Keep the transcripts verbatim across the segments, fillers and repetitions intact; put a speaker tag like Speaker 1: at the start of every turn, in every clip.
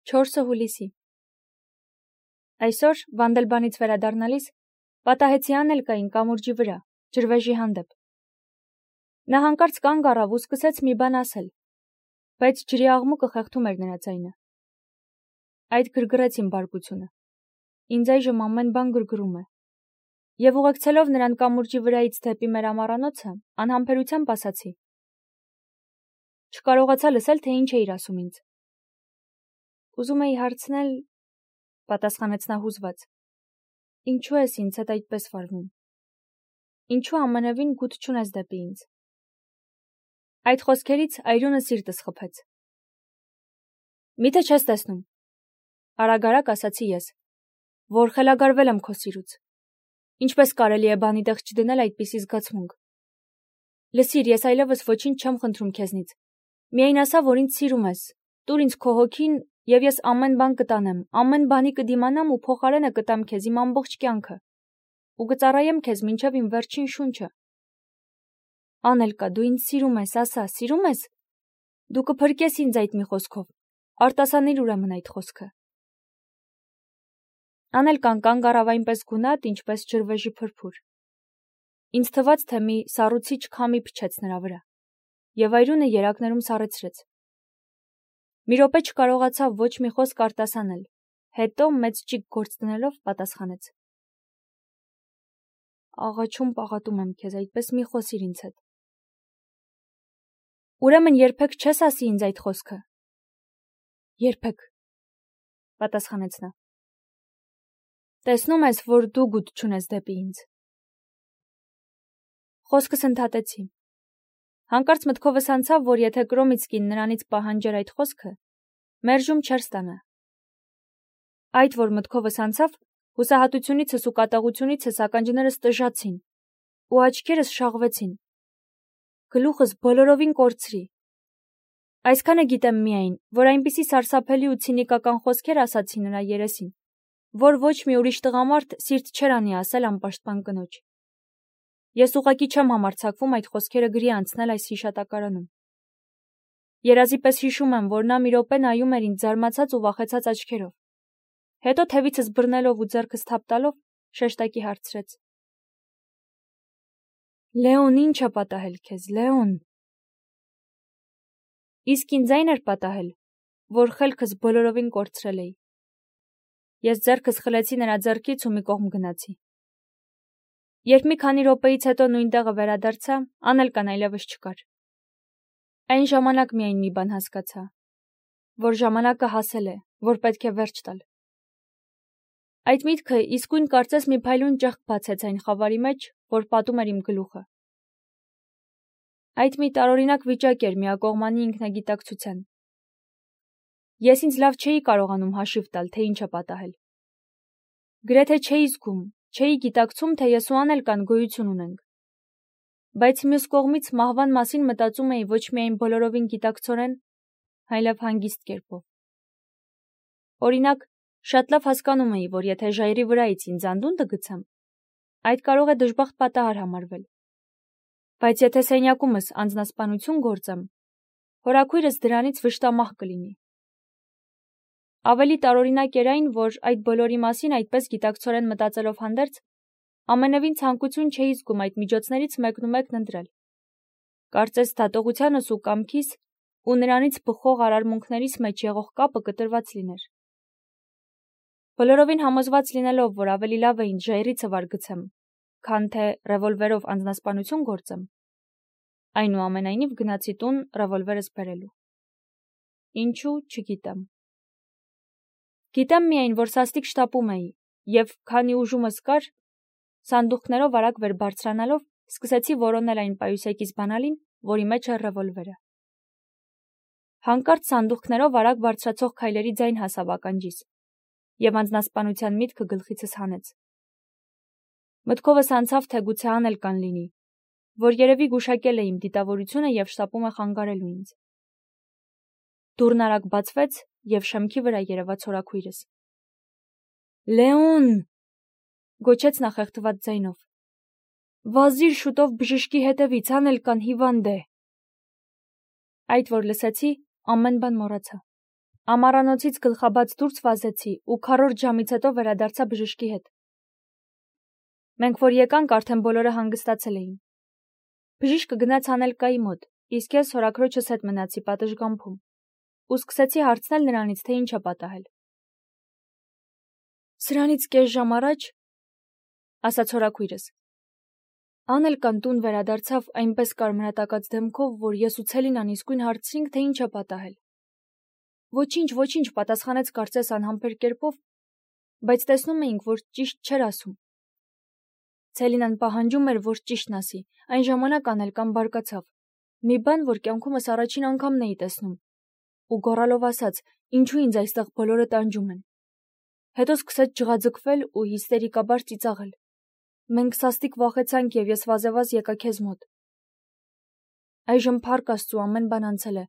Speaker 1: չորսը հուլիսի։ Այսօր, Վանդելբանից վերադառնալիս, պատահեցի Անելկային կամուրջի վրա, ջրվեժի հանդեպ։ Նա հանկարծ կանգ առավ ու սկսեց մի բան ասել, բայց ջրի աղմուկը խեղդում էր նրա ձայնը։ Այդ գրգռեց իմ բարկությունը։ Ինձ այժմ ամեն բան գրգռում է։ Եվ ուղեկցելով նրան կամուրջի վրայից դեպի մեր ամառանոցը, անհամբերությամբ ասացի. Չկարողացա լսել, թե ինչ էիր ասում ինձ։ Ուզում էի հարցնել, պատասխանեց նա հուզված. Ինչու ես ինձ հետ այդպես վարվում։ Ինչու ամենևին գութ չունես դեպի ինձ։ Այդ խոսքերից այրունը սիրտս խփեց։ Միթե չես տեսնում, արագ-արագ ասացի ես, որ խելագարվել եմ քո սիրուց։ Ինչպես կարելի է բանի տեղ չդնել այդպիսի զգացմունք։ Լսիր, ես այլևս ոչինչ չեմ խնդրում քեզնից։ Միայն ասա, որ ինձ սիրում ես։ Տուր ինձ քո հոգին, եւ ես ամեն բան կտանեմ, ամեն բանի կդիմանամ ու փոխարենը կտամ քեզ իմ ամբողջ կյանքը։ Ու կծառայեմ քեզ մինչև իմ վերջին շունչը։ Անելկա, դու ինձ սիրում ես, ասա, սիրում ես։ Դու կփրկես ինձ այդ մի խոսքով։ Արտասանիր ուրեմն այդ խոսքը։ Անելկան կանգ առավ այնպես գունատ, ինչպես ջրվեժի փրփուր։ Ինձ թվաց, թե մի սառուցիչ քամի փչեց նրա վրա, եւ այրունը երակներում սառեցրեց։ Մի րոպե չկարողացավ ոչ մի խոսք արտասանել, հետո մեծ ճիգ գործ դնելով պատասխանեց. Աղաչում պաղատում եմ քեզ, այդպես մի խոսիր ինձ հետ։ Ուրեմն երբեք չես ասի ինձ այդ խոսքը։ Երբեք, պատասխանեց նա։ Տեսնում ես, որ դու գութ չունես դեպի ինձ։ Խոսքս ընդհատեցի։ Հանկարծ մտքովս անցավ, որ եթե Կրոմիցկին նրանից պահանջեր այդ խոսքը, մերժում չէր ստանա։ Այդ, որ մտքովս անցավ, հուսահատությունիցս ու կատաղությունիցս ականջներս տժացին, ու աչքերս շաղվեցին։ Գլուխս բոլորովին կորցրի։ Այսքանը գիտեմ միայն, որ այնպիսի սարսափելի ու ցինիկական խոսքեր ասացի նրա երեսին, որ ոչ մի ուրիշ տղամարդ սիրտ չէր անի ասել անպաշտպան կնոջ։ Ես ուղղակի չեմ համարձակվում այդ խոսքերը գրի անցնել այս հիշատակարանում։ Երազի պես հիշում եմ, որ նա մի րոպե նայում էր ինձ զարմացած ու վախեցած աչքերով։ Հետո թևիցս բռնելով ու ձեռքս թափ տալով շեշտակի հարցրեց. Լեոն, ինչ է պատահել քեզ, Լեոն։ Իսկ ինձ այն էր պատահել, որ խելքս բոլորովին կորցրել էի։ Ես ձեռքս խլեցի նրա ձեռքից ու մի կողմ գնացի։ Երբ մի քանի րոպեից հետո նույն տեղը վերադարձա, Անելկան այլևս չկար։ Այն ժամանակ միայն մի բան հասկացա, որ ժամանակը հասել է, որ պետք է վերջ տալ։ Այդ միտքը իսկույն կարծես մի փայլուն ճեղք բացեց այն խավարի մեջ, որ պատում էր իմ գլուխը։ Այդ մի տարօրինակ վիճակ էր միակողմանի ինքնագիտակցության։ Ես ինձ լավ չէի կարողանում հաշիվ տալ, թե ինչ է պատահել։ Գրեթե չէի զգում, չէի գիտակցում, թե ես ու Անելկան գոյություն ունենք։ Բայց մյուս կողմից մահվան մասին մտածում էի ոչ միայն բոլորովին գիտակցորեն, այլև հանգիստ կերպով։ Օրինակ, շատ լավ հասկանում էի, որ եթե ժայռի վրայից ինձ անդունդը գցեմ, այդ կարող է դժբախտ պատահար համարվել։ Բայց եթե սենյակումս անձնասպանություն գործեմ, հորաքույրս դրանից վշտամահ կլինի։ Ավելի տարօրինակ էր այն, որ այդ բոլորի մասին այդպես գիտակցորեն մտածելով հանդերձ, ամենևին ցանկություն չէի զգում այդ միջոցներից մեկնումեկն ընտրել։ Կարծես դատողությանս ու կամքիս ու նրանից բխող արարմունքներիս մեջ եղող կապը կտրված լիներ։ Բոլորովին համոզված լինելով, որ ավելի լավ է ինձ ժայռի ցվար գցեմ, քան թե ռևոլվերով անձնասպանություն գործեմ, այնուամենայնիվ գնացի տուն ռևոլվերս բերելու։ Ինչու, չգիտեմ։ Գիտեմ միայն, որ սաստիկ շտապում էի, եւ քանի ուժումս կար, սանդուղքներով արագ վեր բարձրանալով, սկսեցի որոնել այն պայուսակից բանալին, որի մեջ էր ռևոլվերը։ Հանկարծ սանդուղքներով արագ բարձրացող քայլերի ձայն հասավ ականջիս, եւ անձնասպանության միտքը գլխիցս հանեց։ Մտքովս անցավ, թե գուցե Անելկան լինի, որ երևի գուշակել է իմ դիտավորությունը եւ շտապում է խանգարելու ինձ։ Դուռն արագ բացվեց եւ շեմքի վրա երևաց հորաքույրս։ Լեոն, գոչեց նա խեղդված ձայնով։ Վազիր շուտով բժշկի հետևից, Անելկան հիվանդ է։ Այդ որ լսեցի, ամեն բան մոռացա։ Ամառանոցից գլխաբաց դուրս վազեցի ու քառորդ ժամից հետո վերադարձա բժշկի հետ։ Մենք որ եկանք, արդեն բոլորը հանգստացել էին։ Բժիշկը գնաց Անելկայի մոտ, իսկ ես հորաքրոջս հետ մնացի պատշգամբում ու սկսեցի հարցնել նրանից, թե ինչ է պատահել։ Սրանից կես ժամ առաջ, ասաց հորաքույրս, Անելկան տուն վերադարձավ այնպես կարմրատակած դեմքով, որ ես ու Ցելինան իսկույն հարցրինք, թե ինչ է պատահել։ Ոչինչ, ոչինչ, պատասխանեց կարծես անհամբեր կերպով, բայց տեսնում էինք, որ ճիշտ չէր ասում։ Ցելինան պահանջում էր, որ ճիշտն ասի, այն ժամանակ Անելկան բարկացավ։ Մի բան, որ կյանքումս առաջին անգամն էի տեսնում, ու գոռալով ասաց, ինչու ինձ այստեղ բոլորը տանջում են։ Հետո սկսեց ջղաձգվել ու հիստերիկաբար ծիծաղել։ Մենք սաստիկ վախեցանք և ես վազեվազ եկա քեզ մոտ։ Այժմ փառք Աստծու ամեն բան անցել է։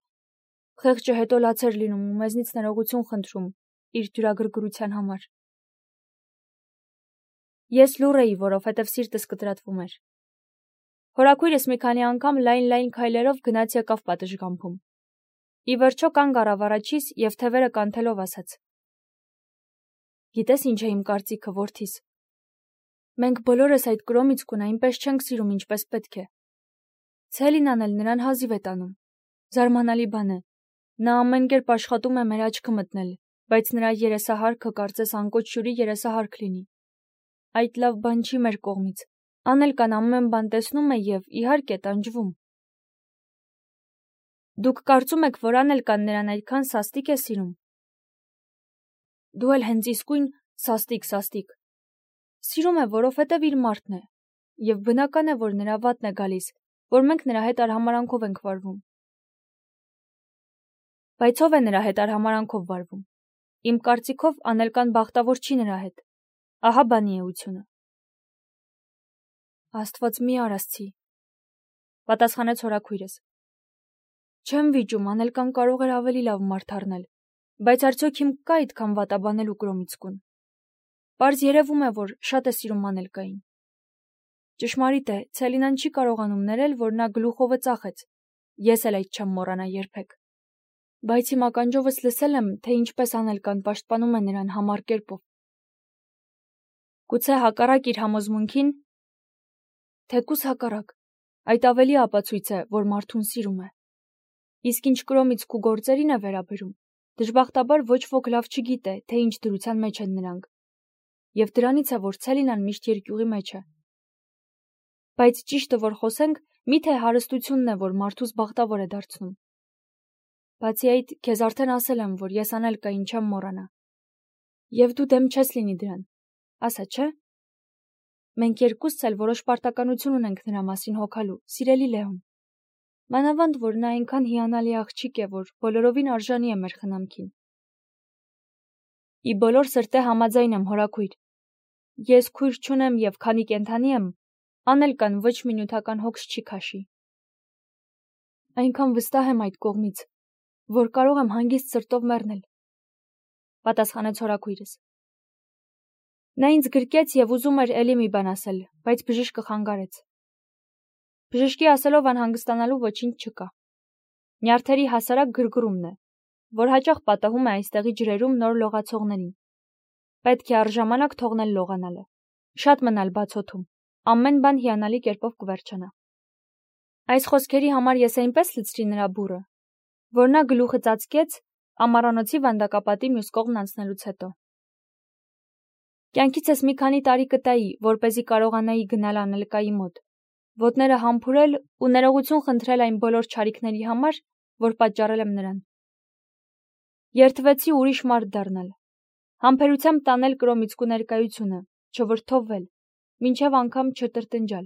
Speaker 1: Խեղճը հետո լաց էր լինում ու մեզնից ներողություն խնդրում իր դյուրագրգռության համար։ Ես լուռ էի, որովհետև սիրտս կտրատվում էր։ Հորաքույրս մի քանի անգամ լայն-լայն քայլերով գնաց եկավ պատշգամբում։ Ի վերջո կանգ առավ առաջիս և թևերը կանթելով ասաց. Գիտես ինչ է իմ կարծիքը, որդիս։ Մենք բոլորս այդ Կրոմիցկուն այնպես չենք սիրում, ինչպես պետք է։ Ցելինան էլ նրան հազիվ է տանում։ Զարմանալի բան է։ Նա ամեն կերպ աշխատում է մեր աչքը մտնել, բայց նրա երեսահարքը կարծես անկոչ հյուրի երեսահարք լինի։ Այդ լավ բան չի մեր կողմից։ Անելկան ամեն բան տեսնում է և, իհարկե, տանջվում։ Դուք կարծում եք, որ Անելկան նրան այդքան սաստիկ է սիրում։ Դու էլ հենց իսկույն սաստիկ-սաստիկ։ Սիրում է, որովհետև իր մարդն է, և բնական է, որ նրա վատն է գալիս, որ մենք նրա հետ արհամարանքով ենք վարվում։ Բայց ով է նրա հետ արհամարանքով վարվում։ Իմ կարծիքով Անելկան բախտավոր չի նրա հետ։ Ահա բանի էությունը։ Աստված մի արասցի, պատասխանեց հորաքույրս։ Չեմ վիճում, Անելկան կարող էր ավելի լավ մարդ առնել, բայց արդյոք հիմք կա այդքան վատաբանելու Կրոմիցկուն։ Պարզ երևում է, որ շատ է սիրում Անելկային։ Ճշմարիտ է, Ցելինան չի կարողանում ներել, որ նա գլուխովը ծախեց։ Ես էլ այդ չեմ մոռանա երբեք։ Բայց իմ ականջովս լսել եմ, թե ինչպես Անելկան պաշտպանում է նրան համառ կերպով։ Գուցե հակառակ իր համոզմունքին, թեկուզ հակառակ, այդ ավելի ապացույց է, որ մարդուն սիրում է։ Իսկ ինչ Կրոմիցկու գործերին է վերաբերում, դժբախտաբար ոչ ոք լավ չգիտե, թե ինչ դրության մեջ են նրանք։ Եվ դրանից է, որ Ցելինան միշտ երկյուղի մեջ է։ Բայց ճիշտը որ խոսենք, միթե հարստությունն է, որ մարդուս բախտավոր է դարձնում։ Բացի այդ, քեզ արդեն ասել եմ, որ ես Անելկային չեմ մոռանա։ Եվ դու դեմ չես լինի դրան, ասա չէ։ Մենք երկուսս էլ որոշ պարտականություն ունենք նրա մասին հոգալու, սիրելի Լեոն։ Մանավանդ, որ նա այնքան հիանալի աղջիկ է, որ բոլորովին արժանի է մեր խնամքին։ Ի բոլոր սրտե համաձայն եմ, հորաքույր։ Ես քույր չունեմ և քանի կենդանի եմ, Անելկան ոչ մի նյութական հոգս չի քաշի։ Այնքան վստահ եմ այդ կողմից, որ կարող եմ հանգիստ սրտով մեռնել, պատասխանեց հորաքույրս։ Նա ինձ գրկեց և ուզում էր էլի մի բան ասել, բայց բժիշկը խանգարեց։ Բժշկի ասելով անհանգստանալու ոչինչ չկա։ Նյարդերի հասարակ գրգռումն է, որ հաճախ պատահում է այստեղի ջրերում նոր լողացողներին։ Պետք է առժամանակ թողնել լողանալը, շատ մնալ բաց օդում, ամեն բան հիանալի կերպով կվերջանա։ Այս խոսքերի համար ես այնպես լցրի նրա բուրը, որ նա գլուխը ծածկեց ամառանոցի վանդակապատի մյուս կողմն անցնելուց հետո։ Կյանքիցս մի քանի տարի կտայի, որպեսզի կարողանայի գնալ Անելկայի մոտ, ոտները համբուրել ու ներողություն խնդրել այն բոլոր չարիքների համար, որ պատճառել եմ նրան։ Երդվեցի ուրիշ մարդ դառնալ, համբերությամբ տանել Կրոմիցկու ներկայությունը, չվրդովվել, մինչև անգամ չտրտնջալ։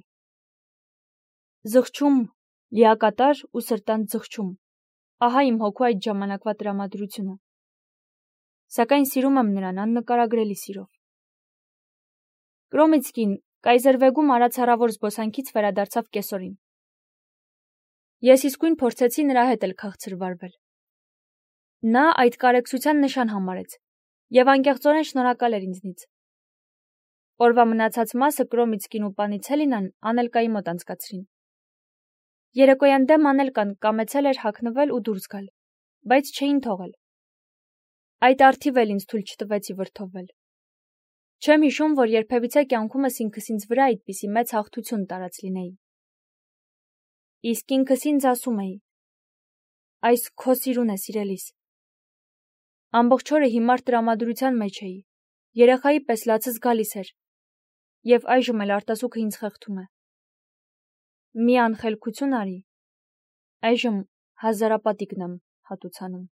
Speaker 1: Զղջում, լիակատար ու սրտանց զղջում, ահա իմ հոգու այդ ժամանակվա տրամադրությունը։ Սակայն սիրում եմ նրան աննկարագրելի սիրով։ Կրոմիցկին Կայզերվեգում արած հեռավոր զբոսանքից վերադարձավ կեսօրին։ Ես իսկույն փորձեցի նրա հետ էլ քաղցր վարվել։ Նա այդ կարեկցության նշան համարեց և անկեղծորեն շնորհակալ էր ինձնից։ Օրվա մնացած մասը Կրոմիցկին ու պանի Ցելինան Անելկայի մոտ անցկացրին։ Երեկոյան դեմ Անելկան կամեցել էր հագնվել ու դուրս գալ, բայց չէին թողել։ Այդ արդիվ էլ ինձ թույլ չտվեցի վրդովել։ Չեմ հիշում, որ երբևիցե կյանքումս ինքս ինձ վրա այդպիսի մեծ հաղթություն տարած լինեի։ Իսկ ինքս ինձ ասում էի. այս քո սիրուն է, սիրելիս։ Ամբողջ օրը հիմար տրամադրության մեջ էի, երեխայի պես լացս գալիս էր, և այժմ էլ արտասուքը ինձ խեղդում է։ Մի անխելքություն արի, այժմ հազարապատիկն եմ հատուցանում։